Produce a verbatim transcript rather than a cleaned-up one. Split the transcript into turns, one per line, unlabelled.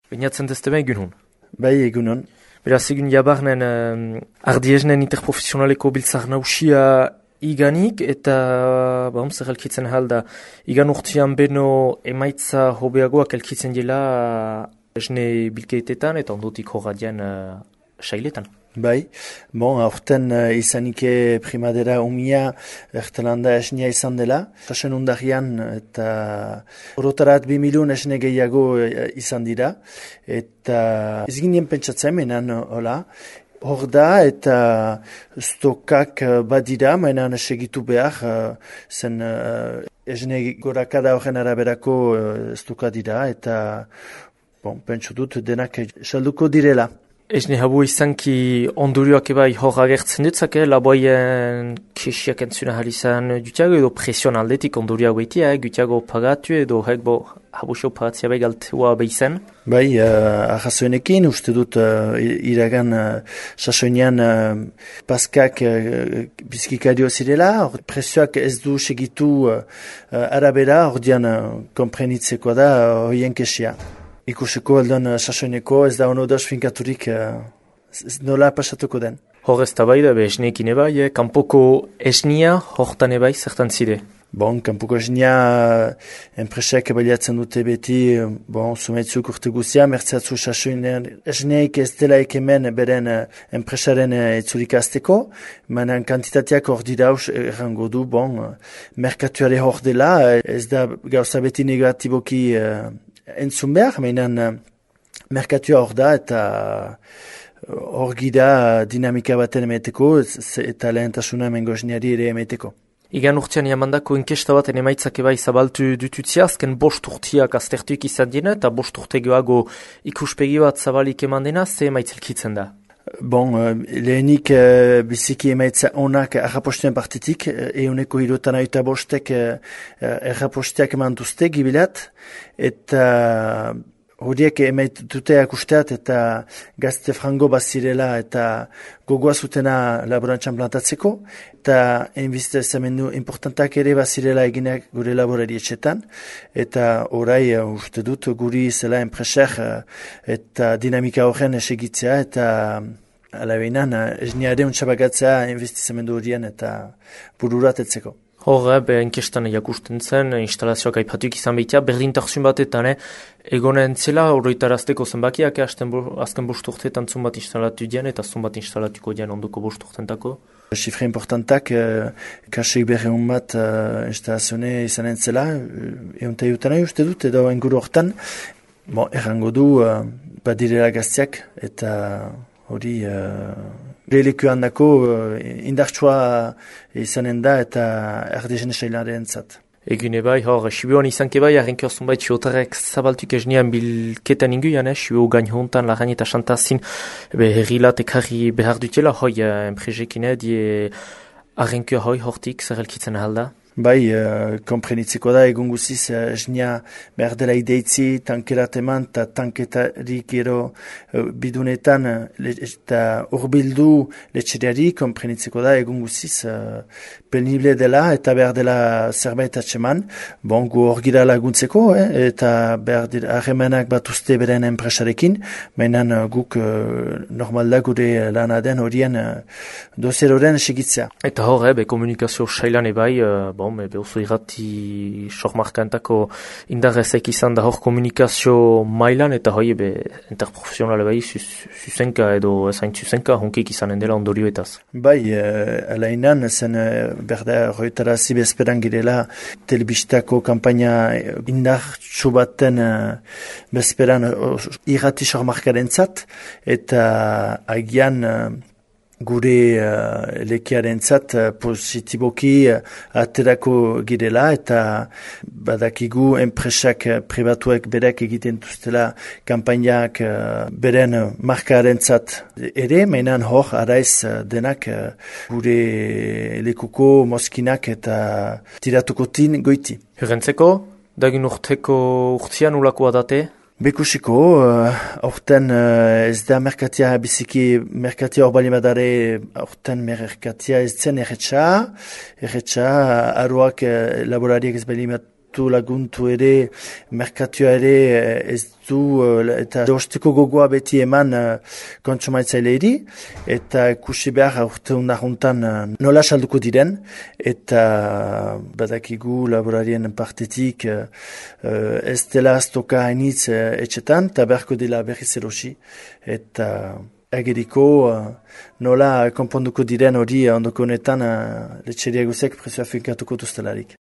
Binatzen dezte beha egun hon?
Bai, egun hon.
Beraz, egun jabarnen um, ardiesnen interprofesionaleko biltzar nausia iganik, eta ba, zer elkitzen halda, igan urtean beno emaitza hobeagoak elkitzen dela esne bilkeetetan eta ondotik horradian uh, sailetan.
Bai, bon, aurten uh, izanike primadera umia ertelanda esnia izan dela. Sasen undarian eta orotarat bi milun esne gehiago uh, izan dira. Eta ez ginen pentsatzen menan hola. Hor da eta stokak uh, badira, mainan segitu behar, uh, zen uh, esne gorakada horren araberako uh, stoka dira eta bon, pentsu dut denak salduko direla.
Esne habu izanki ondurioak ebai hor agertzen dutzak, eh? Laboien kesiak entzuna halizan dutiago edo presion aldetik ondurioak behitia, eh? Gutiago pagatu edo hek bo habusio pagatzea bai galtua behizen?
Bai, uh, ahazoenekin uste dut uh, iragan uh, sasoinean uh, paskak uh, bizkikario zirela, or, presioak ez du segitu uh, arabera, ordean uh, komprenitzeko da uh, hoien kesia. Ikusiko aldan uh, sasoineko ez da ono dauz finkaturik uh, nola pasatuko den.
Hor ez da bai da be esneekin ebai, eh? Kanpoko esnia hortan ebai zertan zide?
Bon, kanpoko esnia uh, enpresak baliatzen dute beti, uh, bon, sumaitzuk urte guzia, mertzeatzu sasoinean esneik ez dela ekemen beren uh, enpresaren uh, etzurik azteko, manan kantitateak hor dira haus errango du, bon, uh, merkatuare hor dela, uh, ez da gauza beti negatiboki uh, entzun behar, mainan uh, merkatua hor da eta hor uh, gira dinamika baten emeteko eta lehentasuna emengo esniari ere emeteko.
Igan urtean jamandako inkesta baten emaitzak ebai zabaltu dututzia, azken bost urtiak aztertuik izan dina eta bost urte geoago ikuspegi bat zabalik eman dena, ze emaitzelkitzen da?
Bon, uh, lehenik uh, biziki emaitza onak errapostuen partitik, uh, euneko hirutan aita bostek uh, erraposteak eman duzte gibilat, eta uh, horiek emaituteak usteat eta gazte frango bazirela eta gogoa zutena laborantzan plantatzeko, eta enbizte zamendu importantak ere bazirela eginak gure laborari etxetan, eta orai uh, uste dut guri zela enpresak uh, eta dinamika horren esegitzea eta alabeinan uh, esniare untxabagatzea enbizte horien eta bururatetzeko.
Hor, be, inkestan jakusten zen, instalazioak aipatuik izan behitea, berdintasun batetan, eh? Egonen zela, horretarazteko zenbakiak, eh? Azken bost urteetan zun bat instalatu dian, eta zun bat instalatuko dian onduko bost urteentako.
Sifre importantak, eh, kasik berreun bat uh, instalazione izanen zela, egun ta jutan uste dut, edo enguru hortan, bon, errango du, uh, badirela gaztiak, eta hori... Uh, Lehilekuan dako uh, indartsua izanen da eta erdezen esailaren zat.
Egune bai, hor, Sibuan izanke bai, arrenko zunbait siotarek zabaltuk esnean bilketan inguian, eh? Sibu gain hontan, laran eta xantazin, herrilat ekarri behar dutela, hoi, enpresekin, eh, die arrenko hoi hortik zer elkitzen ahalda.
Bai, uh, komprenitzeko da, egun guziz, uh, esnia behar dela ideitzi, tankerat eman, eta tanketarik gero uh, bidunetan, uh, eta urbildu letxeriari, komprenitzeko da, egun guziz, uh, penible dela, eta behar dela zerbait atseman, bon, gu hor gira laguntzeko, eh, eta behar dira harremanak bat uste beren enpresarekin, mainan uh, guk uh, normal da gure lana den horien uh, dozier horren segitzea.
Eta hor, eh, be komunikazio sailan ebai, uh, bon, be oso irrati sormarkantako indarrezek izan da hor komunikazio mailan, eta hoi be interprofesionale bai zuzenka edo ezain zuzenka honkik izanen dela ondorioetaz.
Bai, uh, alainan zen uh, berda roetarazi bezperan girela telebistako kampaina indartsu baten uh, bezperan uh, irrati sormarkaren zat, eta agian uh, gure uh, lekiaren zat uh, positiboki uh, aterako girela eta badakigu enpresak uh, pribatuek berek egiten duztela kampainak uh, beren uh, markaren zat ere, mainan hor araiz uh, denak uh, gure lekuko moskinak eta tiratukotin goiti.
Herrentzeko, dagin urteko urtian ulakoa date?
Bekusiko, aurten uh, uh, ez da merkatia biziki, merkatia hor bali badare, aurten merkatia ez zen erretxa, erretxa, aruak uh, laborariak ez bali laguntu laguntu ere, merkatua ere ez du, eta osteko gogoa beti eman kontsumatzaileari, eta ikusi behar urte undaruntan nola salduko diren, eta badakigu laborarien partetik ez dela aztoka hainitz etxetan, eta beharko dela berriz erosi, eta ageriko nola konponduko diren hori ondoko honetan letxeria guzek prezioa finkatuko duztelarik.